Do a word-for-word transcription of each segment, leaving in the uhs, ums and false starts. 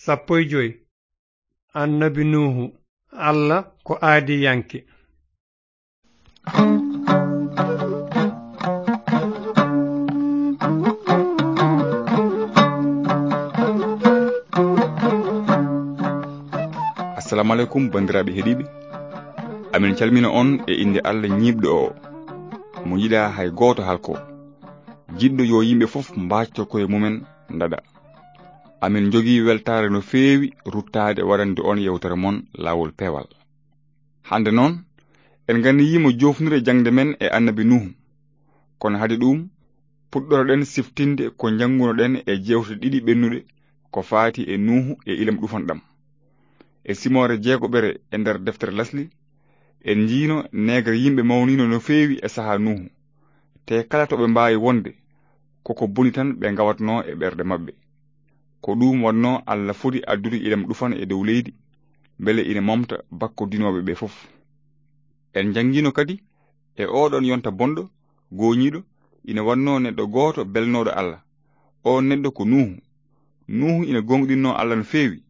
Sappo e joy. Annabi Nuuhu, Alla ko aadiyanke. Assalamu aleykum, banndiraaɓe heɗiiɓe. Amin calmina on e innde Alla ñiiɓɗo o, mo yiɗaa hay gooto halko. Jiɗɗo yo yimɓe fof mbaacto koye mumen ndaɗa. Amin njogii weltaare no feewi ruttaade waɗande on yewtere mon Laawol Peewal. Hannde noon, en nganniyiima joofnude jaŋde men e Annabi Nuuhu. Kono hade ɗuum, puɗɗoro-ɗen siftinde ko njannguno-ɗen e jeewte ɗiɗi ɓennuɗe ko faati e Nuuhu e ilam ɗufanɗam. E simoore jeegoɓere e nder deftere Lasli, en njiino neegar yimɓe mawniino no feewi e sahaa Nuuhu. Te kala to ɓe mbaawi wonde, koko boni tan ɓe ngawatnoo e ɓerɗe maɓɓe. Ko ɗuum waɗnoo Alla foti addude ilam ɗufan e dow leydi, mbele ina momta bakkodinooɓe ɓe fof. En njanngiino kadi e ooɗoon yonta bonɗo, gooñiiɗo, ina waɗnoo neɗɗo gooto belnooɗo Alla. Oon neɗɗo ko Nuuhu. Nuuhu ina gooŋɗinnoo Alla no feewi,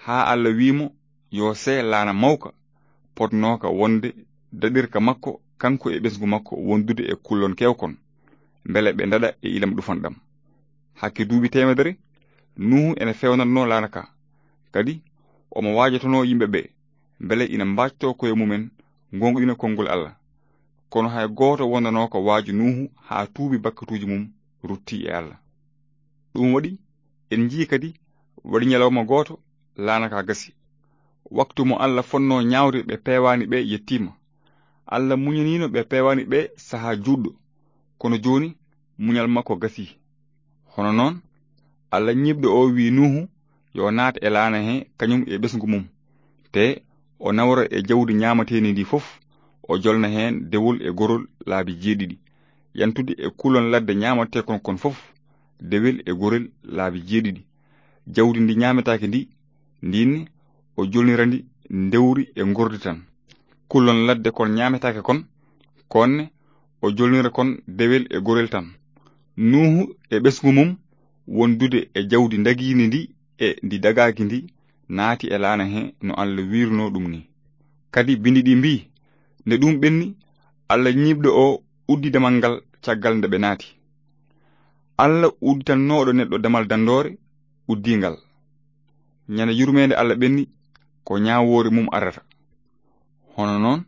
haa Alla wiyi mo yo see laana mawka, potnooka wonde daɗirka makko, kanko e ɓesngu makko wondude e kullon keewkon, mbele ɓe ndaɗa e ilam ɗufan ɗam. Hakke duuɓi teemedere, Nuuhu ene feewnatnoo laana ka. Kadi, omo waajotonoo yimɓe ɓe, mbele ina mbaactoo koye mumen, ngooŋɗina konngol Alla. Kono hay gooto wondanooka waaju Nuuhu haa tuubi bakkatuuji mum ruttii e Alla. Ɗum waɗi, en njiyii kadi, waɗi ñalawma gooto, laana ka gasi. Waktu mo Alla fotnoo ñaawde ɓe peewaani ɓe yettiima. Alla muñaniino ɓe peewaani ɓe sahaa juutɗo, kono jooni muñal makko gasii. Hono noon, Alla ñiiɓɗo o wiyi Nuuhu yo naat e laana he kañum e ɓesngu mum, te o nawra e jawdi ñaamateendi ndi fof, o jolna heen dewol e gorol laabi jeeɗiɗi, yantude e kulon ladde ñaamateekon kon fof, dewel e gorel laabi jeeɗiɗi. Jawdi ndi ñaametaake ndi, ndin o jolnira ndi ndewri e ngordi tan. Kulon ladde kon ñaametaake kon, konne o jolnira kon dewel e gorel tan. Nuuhu e ɓesngu mum wondude e jawdi ndagiindi ndi e ndi dagaaki ndi naati e laana he no Alla wiirnoo ɗum ni. Kadi binndi ɗi mbii, nde ɗum ɓenni, Alla ñiiɓɗo o uddi damal ngal caggal nde ɓe naati. Alla udditannooɗo neɗɗo damal danndoore uddii ngal. Ñande yurmeende Alla ɓenni, ko ñaawoore mum arata. Hono noon,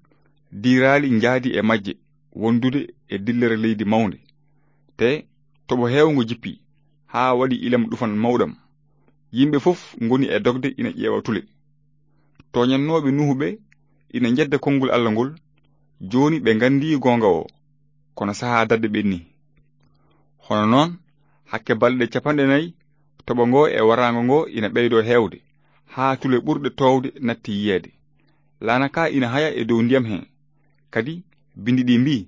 diiraali njaadi e majje wondude e dillere leydi mawnde. Te toɓo heewngo jippii, haa waɗi ilam ɗufan mawɗam. Yimɓe fof ngoni e dogde ina ƴeewa tule. Tooñannooɓe Nuuhu ɓe ina njedda konngol Alla ngol, jooni ɓe nganndii goonga o, kono sahaa dadde ɓenni. Hono noon, hakke balɗe capanɗe nayi, toɓo ngo e waraango ngo ina ɓeydoo heewde, haa tule ɓurɗe toowde natti yiyeede. Laana ka ina haya e dow ndiyam he. Kadi, binndi ɗi mbii,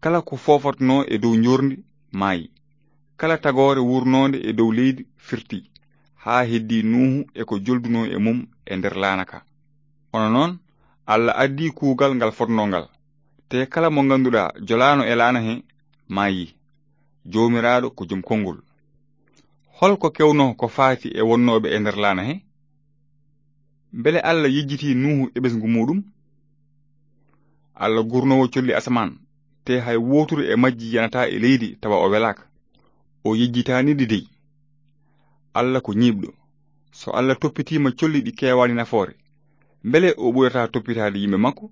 kala ko foofatnoo e dow njoorndi maayi. Kala tagoore wuurnoonde e dow leydi firti, haa heddii Nuuhu e ko joldunoo e mum e nder laana ka. Hono noon, Alla addii kuugal ngal fotnoo ngal. Te kala mo ngannduɗaa jolaano e laana he, maayii. Joomiraaɗo ko jom konngol. Hol ko kewnoo ko faati e wonnooɓe e nder laana he? Mbele Alla yejjitii Nuuhu e ɓesngu muuɗum? Alla gurnoowo colli asamaan, te hay wootude e majji yanataa e leydi tawa o welaaka. O yejjitaani ɗi dey. Alla ko ñiiɓɗo. So Alla toppitiima colli ɗi keewaani nafoore, mbele o ɓurataa toppitaade yimɓe makko?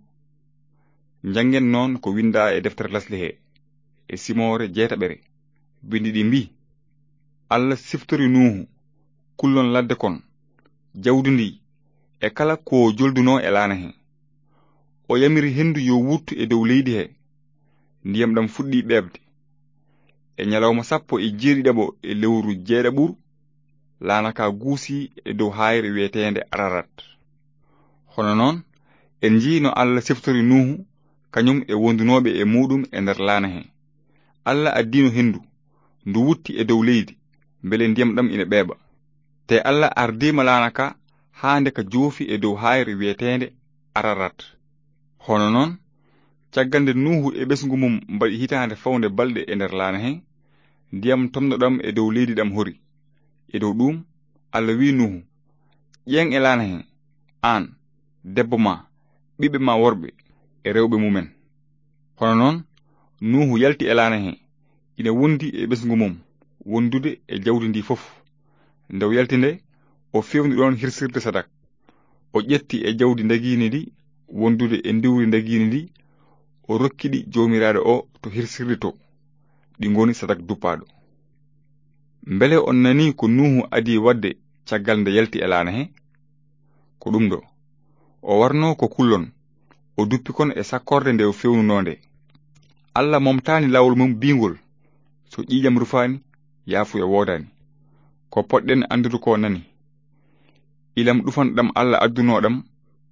Njanngen noon ko winndaa e deftere Lasli he, e simoore jeetaɓere, binndi ɗi mbii, Alla siftori Nuuhu, kullon ladde kon, jawdi ndi, e kala ko joldunoo e laana he. O yamiri henndu yo wuttu e dow leydi he. Ndiyam ɗam fuɗɗii ɓeeɓde. E ñalawma sappo e jeeɗiɗaɓo e lewru jeeɗaɓuru, laana ka guusii e dow haayre wiyeteende Ararat. Hono noon, en njii no Alla siftori Nuuhu, kañum e wondunooɓe e muuɗum e nder laana he. Alla addiino henndu, ndu wutti e dow leydi, mbele ndiyam ɗam ina ɓeeɓa. Te Alla ardiima laana ka haa nde ka joofi e dow haayre wiyeteende Ararat. Hono noon, caggal nde Nuuhu e ɓesngu mum mbaɗi hitaande fawnde balɗe e nder laana he, ndiyam tomɗo ɗam e dow leydi ɗam hori. E dow ɗuum, Alla wi'i Nuuhu, Ƴeeŋ e laana he, aan, debbo ma, ɓiɓɓe ma worɓe e rewɓe mumen. Hono noon, Nuuhu yalti e laana he, ina wondi e ɓesngu mum, wondude e jawdi ndi fof. Nde o yalti nde, o fewni ɗoon hirsirde sadak. O ƴetti e jawdi ndagiindi ndi, wondude e ndiwri ndagiindi ndi, o rokki ɗi Joomiraaɗo o to hirsirde to, ɗi ngoni sadak duppaaɗo. Mbele on nanii ko Nuuhu adii waɗde caggal nde yalti e laana he? Ko ɗum ɗo. O warnoo ko kullon, o duppi kon e sakkorde nde o fewnunoo nde. Alla momtaani laawol mum biingol, so ƴiiƴam rufaani, yaafuya woodaani. Ko potɗen anndude ko nani. Ilam ɗufanɗam Alla addunoo ɗam,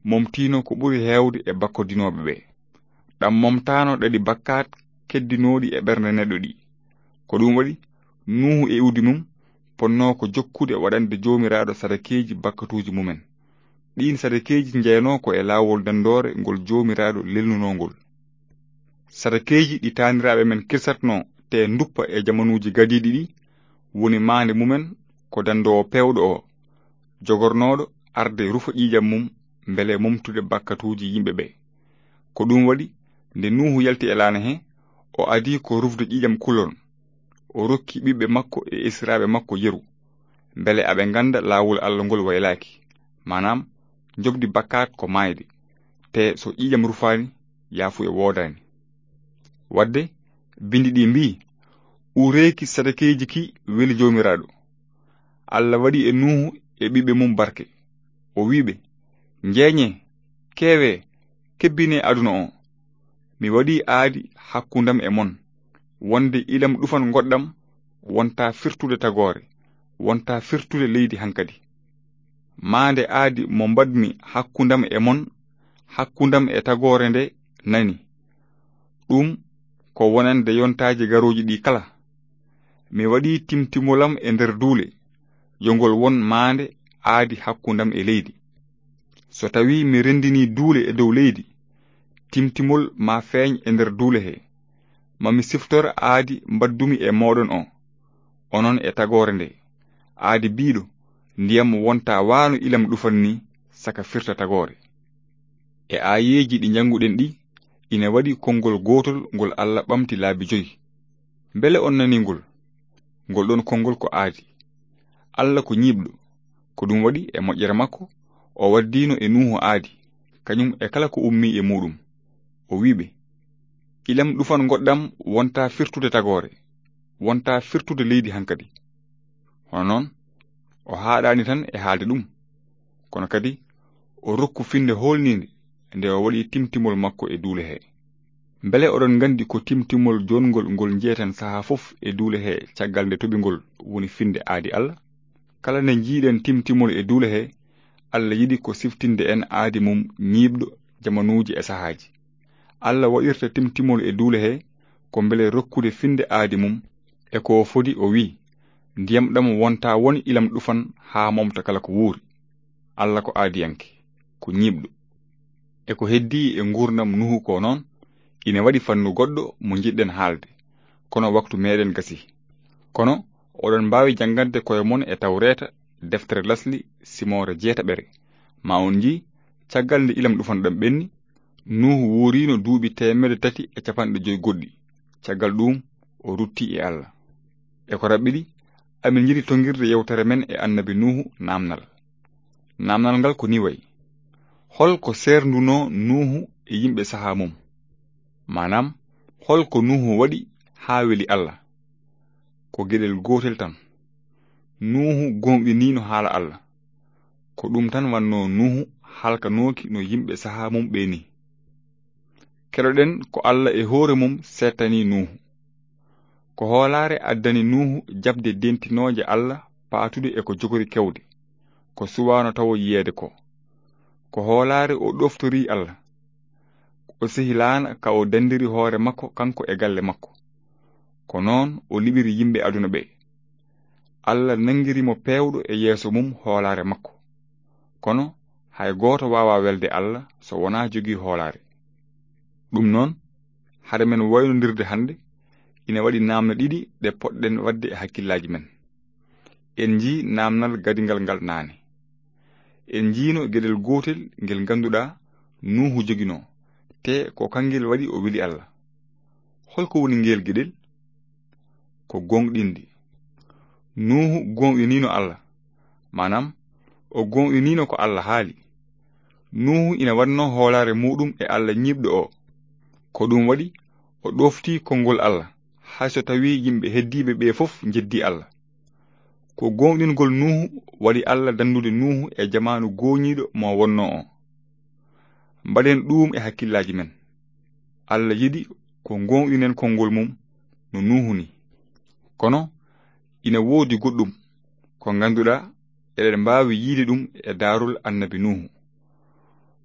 momtiino ko ɓuri heewde e bakkodinooɓe ɓe. Ɗam momtaano ɗaɗi bakkaat keddinooɗi e ɓernde neɗɗo ɗi. Ko ɗum waɗi, Nuuhu e iwdi mum ponnoo ko jokkude waɗande Joomiraaɗo sadakeeji bakkatuuji mumen. Ɗiin sadakeeji njeyanoo ko e laawol danndoore ngol Joomiraaɗo lelnunoo ngol. Sadakeeji ɗi taaniraaɓe men kirsatnoo te nduppa e jamanuuji gadiiɗi ɗi, woni maande mumen ko danndoowo peewɗo o, jogornooɗo arde rufa ƴiiƴam mum mbele momtude bakkatuuji yimɓe ɓe. Ko ɗum waɗi, nde Nuuhu yalti e laana he, o adii ko rufde ƴiiƴam kulol. O rokki ɓiɓɓe makko e esiraaɓe makko yeru, mbele aɓe ngannda laawol Alla ngol waylaaki, maanaam, njoɓdi bakkaat ko maayde, te so ƴiiƴam rufaani, yaafuya woodaani. Waɗde, binndi ɗi mbii, uureeki sadakeeji ki weli Joomiraaɗo. Alla waɗi e Nuuhu e ɓiɓɓe mum barke. O wii ɓe, njeenyee, keewee, kebbinee aduna o. Mi waɗii aadi hakkundam e mon, wonde ilam ɗufan ngoɗɗam wonta firtude tagoore, wonta firtude leydi hankadi. Maande aadi mo mbaɗmi hakkundam e mon, hakkundam e tagoore nde nani. Ɗum ko wonande yontaaji garooji ɗi kala. Mi waɗii timtimolam e nder duule, yo ngol won maande aadi hakkundam e leydi. So tawii mi renndinii duule e dow leydi, timtimol ma feeñ e nder duule he. Ma mi siftor aadi mbaddumi e mooɗon o, onon e tagoore nde. Aadi biiɗo, ndiyam wonta waano ilam ɗufan ni, saka firta tagoore. E aayeeji ɗi njannguɗen ɗi, ina waɗi konngol gootol ngol Alla ɓamti laabi joyi. Mbele on nanii ngol? Ngol ɗoon konngol ko aadi. Alla ko ñiiɓɗo. Ko ɗum waɗi e moƴƴere makko, o waddiino e Nuuhu aadi, kañum e kala ko ummii e muuɗum. O wii ɓe, ilam ɗufan ngoɗɗam wonta firtude tagoore, wonta firtude leydi hankadi. Hono noon, o haaɗaani tan e haalde ɗum, kono kadi o rokku finnde hoolniinde nde o waɗi timtimol makko e duule he. Mbele oɗon nganndi ko timtimol joongol ngol njeeten sahaa fof e duule he caggal nde toɓi ngol woni finnde aadi Alla? Kala nde njiiɗen timtimol e duule he, Alla yiɗi ko siftinde en aadi mum ñiiɓɗo jamanuuji e sahaaji. Alla waɗirta timtimol e duule he ko mbele rokkude finnde aadi mum, e ko o fodi o wii, ndiyam ɗam wonta won ilam ɗufan haa momta kala ko wuuri. Alla ko aadiyanke, ko ñiiɓɗo. E ko heddii e nguurndam Nuuhu ko noon, ina waɗi fannu goɗɗo mo njiɗɗen haalde, kono waktu meeɗen gasii. Kono oɗon mbaawi janngande koye mon e Tawreeta, deftere lasli, simoore jeetaɓere. Ma on njii, caggal nde ilam ɗufan ɗam ɓenni, Nuuhu wuuriino duuɓi teemedde tati e capanɗe joy goɗɗi. Caggal ɗuum, o rutti e Alla. E ko raɓɓiɗi, amin njiɗi tonngirde yewtere men e Annabi Nuuhu naamnal. Naamnal ngal ko nii wayi: hol ko seerndunoo Nuuhu e yimɓe sahaa mum? Maanaam, hol ko Nuuhu waɗi haa weli Alla? Ko geɗel gootel tan. Nuuhu gooŋɗiniino haala Alla. Ko ɗum tan wannoo Nuuhu halkanooki no yimɓe sahaa mum ɓee nii. Keɗoɗen ko Alla e hoore mum seettanii Nuuhu. Ko hoolaare addani Nuuhu jaɓde dentinooje Alla paatude e ko jogori kewde, ko suwaano tawo yiyeede ko. Ko hoolaare o ɗoftorii Alla. O sehilaana ka o danndiri hoore makko kanko e galle makko. Ko noon o liɓiri yimɓe aduna ɓe. Alla nanngiri mo peewɗo e yeeso mum hoolaare makko. Kono hay gooto waawaa welde Alla so wonaa jogii hoolaare. Ɗum noon, hade men waynondirde hannde, ina waɗi naamne ɗiɗi ɗe potɗen waɗde e hakkillaaji men. En njii naamnal gadingal ngal naane. en njiino geɗel gootel ngel ngannduɗaa Nuuhu joginoo, te ko kangel waɗi o weli Allah. Holko woni ngel geɗel? Ko gooŋɗinde. Nuuhu gooŋɗiniino Allah, maanaam, o gooŋɗiniino ko Allah haali. Nuuhu ina waɗnoo hoolaare muuɗum e Allah ñiiɓɗo o. Ko ɗum waɗi o ɗoofti konngol Allah, hay so tawii yimɓe heddiiɓe ɓee fof njeddii Allah. Ko gooŋɗingol Nuuhu waɗi Allah danndude Nuuhu e jamaanu gooŋiiɗo mo wonnoo o. Mbaɗen ɗuum e hakkillaaji men. Allah yiɗi ko gooŋɗinen konngol mum no Nuuhu ni. Kono ina woodi goɗɗum ko ngannduɗaa eɗen mbaawi yiide ɗum e daarol Annabi Nuuhu.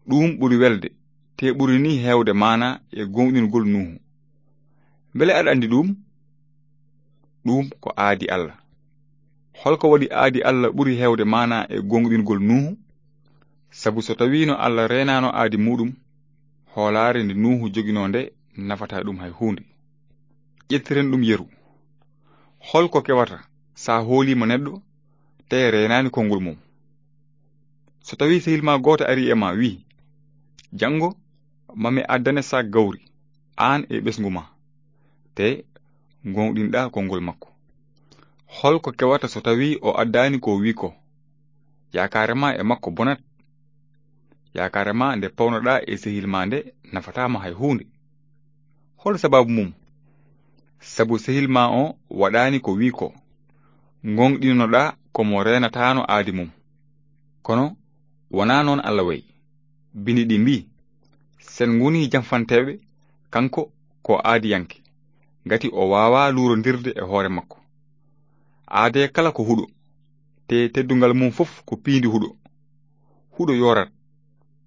Ɗuum ɓuri welde, te ɓuri ni heewde maanaa e gooŋɗingol Nuuhu. Mbele aɗa anndi ɗuum? Ɗuum ko aadi Allah. Holko waɗi aadi Allah ɓuri heewde maanaa e gooŋɗingol Nuuhu? Sabu so tawiino Allah reenaano aadi muuɗum, hoolaare nde Nuuhu joginoo nde nafataa ɗum hay huunde. Ƴettiren ɗum yeru. Holko kewata sa hooliima neɗɗo, te reenaani konngol mum? So tawii sehil ma gooto arii e ma, wii, "Janngo, ma mi addane saak gawri, aan e ɓesngu ma," te gooŋɗinɗaa konngol makko. Holko kewata so tawii o addaani ko wii ko? Yaakaare ma e makko bonat. Yaakaare ma nde pawnoɗaa e sehil ma nde nafataa ma hay huunde. Hol sababu mum? Sabu sehil ma o waɗaani ko wii ko. Gooŋɗinoɗaa ko mo reenataano aadi mum. Kono wonaa noon Allah wayi. Bindi ɗi mbii, "Sen ngoni janfanteeɓe, kanko ko aadiyanke, ngati o waawaa luurondirde e hoore makko." Aadee kala ko huɗo, te teddungal mum fof ko piindi huɗo. Huɗo yoorat,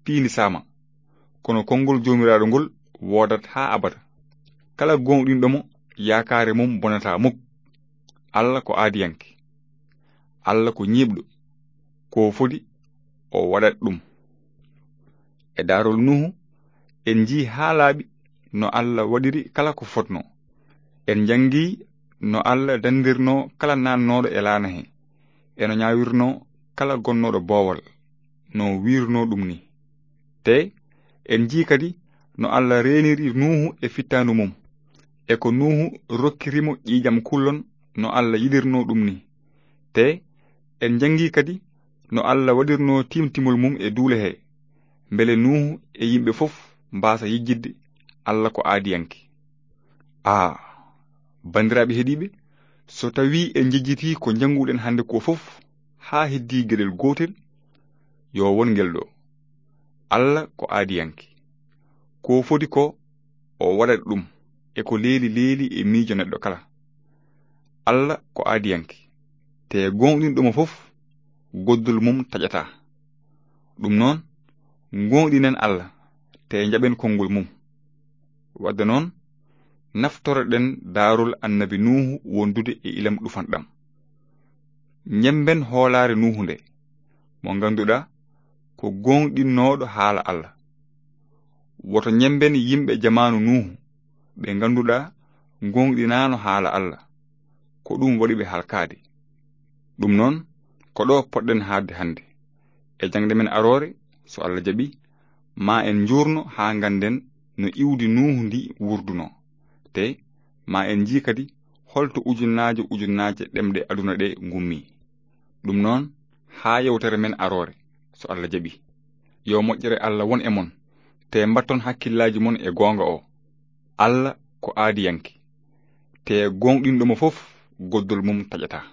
piindi saama, kono konngol Joomiraaɗo ngol woodat haa abada. Kala gooŋɗinɗo mo, yaakaare mum bonataa muk. Allah ko aadiyanke. Allah ko ñiiɓɗo. Ko fodi, o waɗat ɗum. E daarol Nuuhu, en njii haa laaɓi no Allah waɗiri kala ko fotnoo. En njanngi no Allah danndirnoo kala naatnooɗo e laana he, e no ñaawirnoo kala gonnooɗo boowal, no wiirnoo ɗum ni. Te en njii kadi no Allah reeniri Nuuhu e fittaandu mum, e ko Nuuhu rokkiri mo ƴiiƴam kullon no Allah yiɗirnoo ɗum ni. Te en njanngi kadi no Allah waɗirnoo timtimol mum e duule he, mbele Nuuhu e yimɓe fof mbaasa yejjitde Allah ko aadiyanke. Aa, banndiraaɓe heɗiiɓe, so tawii en njejjitii ko njannguɗen hannde ko fof haa heddii geɗel gootel, yo won ngel ɗo. Allah ko aadiyanke. Ko fodi ko o waɗat ɗum e ko leeli leeli e miijo neɗɗo kala. Allah ko aadiyanke, te gooŋɗinɗo mo fof, goddol mum taƴataa. Ɗum noon, gooŋɗinen Allah, te njaɓen konngol mum. Wadde noon, naftoroɗen daarol Annabi Nuuhu wondude e ilam ɗufanɗam. Ñemmben hoolaare Nuuhu nde, mo ngannduɗaa ko gooŋɗinnooɗo haala Allah. Woto ñemmben yimɓe jamaanu Nuuhu, ɓe ngannduɗaa gooŋɗinaano haala Allah. Ko ɗum waɗi ɓe halkaade. Ɗum noon, ko ɗo poɗɗen haaɗde hannde. E jaŋde men aroore, so Allah jaɓi, ma en njuurno haa ngannden no iwdi Nuuhu ndi wurdunoo. Te ma en njii kadi holto ujunnaaje ujunnaaje ɗemɗe aduna ɗe ngummi. Ɗum noon, haa yewtere men aroore, so Allah jaɓi. Yo moƴƴere Allah won e mon, te mbatton hakkillaaji mon e goonga o. Allah ko aadiyanke, te gooŋɗinɗo mo fof, goddol mum taƴataa.